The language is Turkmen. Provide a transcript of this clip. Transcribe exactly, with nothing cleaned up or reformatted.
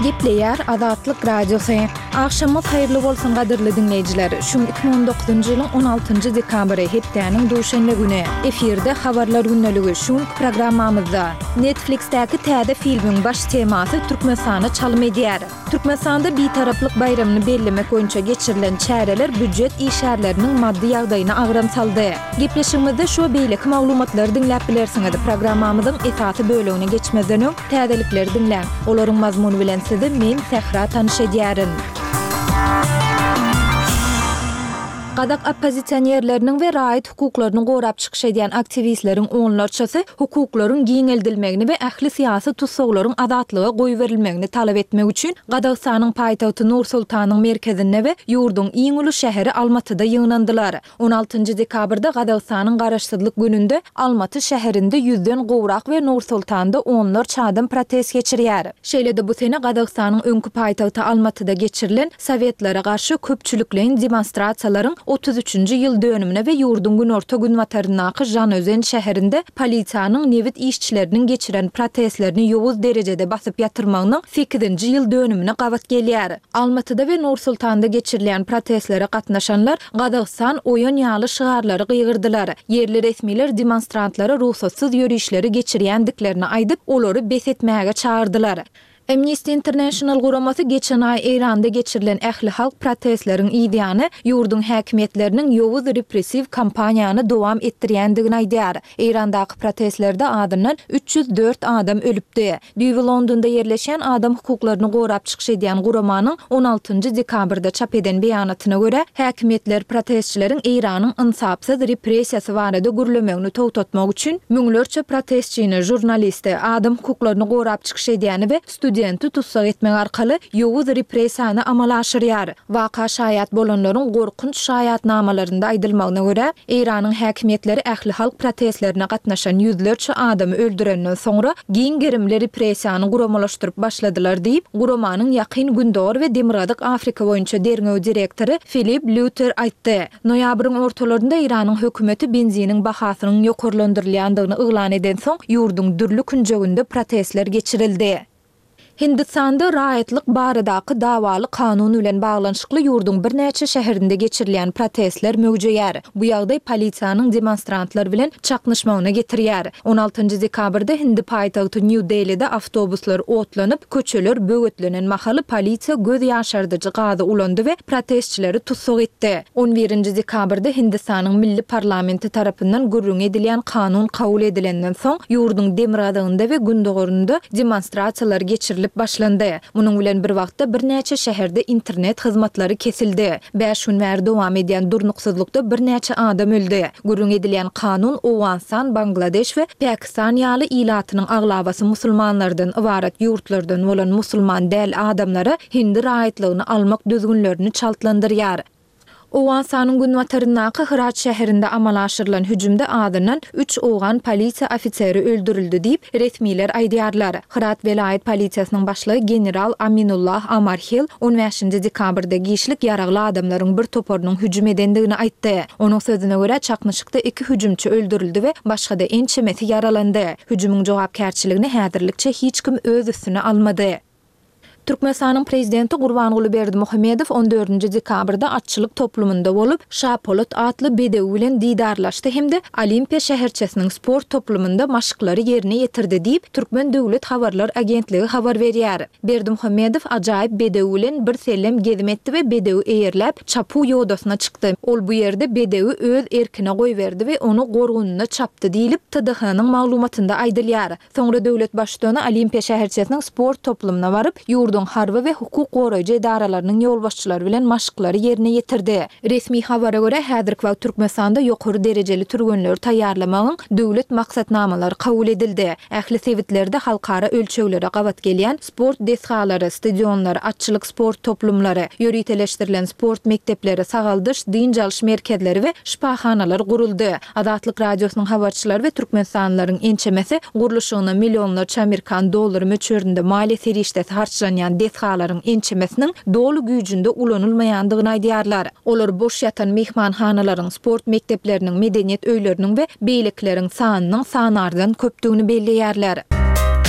Gepleýär Azatlyk Radiosy. Agşamyňyz haýyrly bolsun gadyrly diňleýjiler. Şu gün iki müň on dokuzynjy ýylyň on altynjy dekabry, hepdäniň duşenbe güni. Efirde Habarlar gündeligi şu günki programmamyzda. Netflix-däki täze filmiň baş temasy Türkmenistana çalym edýär. Türkmenistanda Bitaraplyk baýramyny bellemek boýunça geçirilen çäreler býujet işgärleriniň maddy ýagdaýyna agram saldy. Gepleşigimizde şu we beýleki maglumatlary diňläp bilersiňiz. Programmamyzyň esasy bölegine geçmezden öň, täzelikleri diňläň. Olaryň mazmuny bilen sizi men, Sähra tanyş edýärin. Gazak oppozisionerleriniň we raýat hukuklaryny gorap çykyş edýän aktiwistleriň onlarçasy hukuklaryň giňeldilmegini we ähli syýasy tussaglaryň azatlyga goýberilmegini talap etmek üçin Gazagystanyň paýtagty Nur-Sultanyň merkezinde we ýurduň iň uly şäheri Almatyda ýygnandylar. On altynjy dekabrda Gazagystanyň Garaşsyzlyk gününde Almaty şäherinde ýüzden gowrak we Nur-Sultanda onlarça adam protest geçirýär. Şeýle-de bu sene Gazagystanyň öňki paýtagty Almatyda geçirilen Sowetlere garşy köpçülikleýin demonstrasiýalaryň otuz üçünji ýyl dönümine we ýurduň günorta-günbataryndaky Žanaözen şäherinde polisiýanyň nebit işçileriniň geçiren protestlerini ýowuz derejede basyp ýatyrmagynyň sekizinji ýyl dönümine gabat gelýär. Almatyda we Nur-Sultanda geçirilýän protestlere gatnaşanlar Gazagystan oýan ýaly şygarlary gygyrdylar. Ýerli resmiler demonstrantlara rugsatsyz ýörişleri geçirýändiklerini aýdyp, olary bes etmäge çagyrdylar. Amnesty International guramasy geçen aý Eýranda geçirilen ählihalk protestleriň yzýany ýurduň häkimiýetleriniň ýowuz repressiw kampaniýany dowam etdirýändigini aýdýar. Eýrandaky protestlerde azyndan üç ýüz dört adam ölüpdi. Düýbi Londonda ýerleşýän adam hukuklaryny gorap çykyş edýän guramanyň on altynjy dekabrda çap eden beýanatyna görä, häkimiýetler protestçileriň Eýranyň ynsapsyz repressiýasy barada gürlemegini togtatmak üçin müňlerçe protestçini, žurnalisti, adam hukuklaryny gorap çykyş edýäni we studenti tussag etmek arkaly ýowuz repressiýany amala aşyrýar. Waka şaýat bolanlaryň gorkunç şaýatnamalarynda aýdylmagyna görä, Eýranyň häkimiýetleri ählihalk protestlerine gatnaşan ýüzlerçe adamy öldürenden soňra giň gerimli repressiýany guramalaşdyryp başladylar diýip, guramanyň Ýakyn Gündogar we Demirgazyk Afrika boýunça derňew direktory Filip Lýuter aýtdy. Noýabryň ortalarynda Eýranyň hökümeti benziniň bahasynyň ýokarlandyrylýandygyny yglan edensoň, ýurduň dürli künjeginde protestler geçirildi. Hindistanda raýatlyk baradaky dawaly kanun bilen baglanyşykly ýurduň birnäçe şäherinde geçirilýän protestler möwjeýär. Bu ýagdaý polisiýanyň demonstrantlar bilen çaknyşmagyna getirýär. On altynjy dekabrda hindi paýtagty Nýu-Delide awtobuslar otlanyp, köçeler böwetlenen mahaly polisiýa göz ýaşardyjy gazy ulandy we protestçileri tussag etdi. On birinji dekabrda Hindistanyň milli parlamenti tarapyndan gürrüňi edilýän kanun kabul edilenden soň, ýurduň demirgazygynda we gündogarynda demonstrasiýalar geçirilip başlandy. Munuň bilen bir wagtda birnäçe şäherde internet hyzmatlary kesildi. Bäş gün bäri dowam edýän durnuksyzlykda birnäçe adam öldi. Gürrüň edilýän kanun Owganystan, Bangladeş we Pakistan ýaly ilatynyň aglabasy musulmanlardan ybarat ýurtlardan bolan musulman däl adamlara hindi raýatlygyny almak düzgünlerini çaltlandyrýar. Owganystanyň günbataryndaky Hyrat şäherinde amala aşyrylan hüjümde azyndan üç owgan polisiýa ofiseri öldürildi diýip, resmiler aýdýarlar. Hyrat welaýat polisiýasynyň başlygy general Aminullah Amarhil on bäşinji dekabrda giçlik ýaragly adamlaryň bir toparynyň hüjüm edendigini aýtdy. Onuň sözüne görä, çaknyşykda iki hüjümçi öldürildi we başga-da ençemesi ýaralandy. Hüjümiň jogapkärçiligini häzirlikçe hiç kim öz üstüne almady. Türkmenistanyň Prezidenti Gurbanguly Berdimuhamedow on dördünji dekabrda atçylyk toplumynda bolup, Şapolat atly bedewi bilen didarlaşdy hem-de Olimpiýa şäherçesiniň sport toplumynda maşklary ýerine ýetirdi diýip, Türkmen döwlet habarlar agentligi habar berýär. Berdimuhamedow ajaýyp bedew bilen birsellem gezim etdi we bedewi eýerläp, çapuw ýodasyna çykdy. Ol bu ýerde bedewi öz erkine goýberdi we ony gorgunyna çapdy diýlip, T D H-nyň maglumatynda aýdylýar. Soňra döwlet Baştutany Olimpiýa şäherçesiniň sport toplumyna baryp, ýurduň harby we hukuk goraýjy edaralarynyň ýolbaşçylary bilen maşklary ýerine ýetirdi. Resmi habara görä, häzirki wagt Türkmenistanda ýokary derejeli türgenleri taýýarlamagyň döwlet maksatnamalary kabul edildi. Ähli sebitlerde halkara ölçeglere gabat gelýän sport desgalary, stadionlar, atçylyk sport toplumlary, ýöriteleşdirilen sport mekdepleri, sagaldyş, dynç alyş merkezleri we şypahanalar guruldy. Azatlyk Radiosynyň habarçylary we türkmenistanlylaryň ençemesi gurluşygyna millionlarça amerikan dollary möçberinde maliýe serişdesi harçlanýan desgalaryň ençemesiniň doly güýjünde ulanylmaýandygyny aýdýarlar. Olar boş ýatan myhmanhanalaryň, sport mekdepleriniň, medeniýet öýleriniň we beýlekileriň sanynyň sanardan köpdügini belleýärler.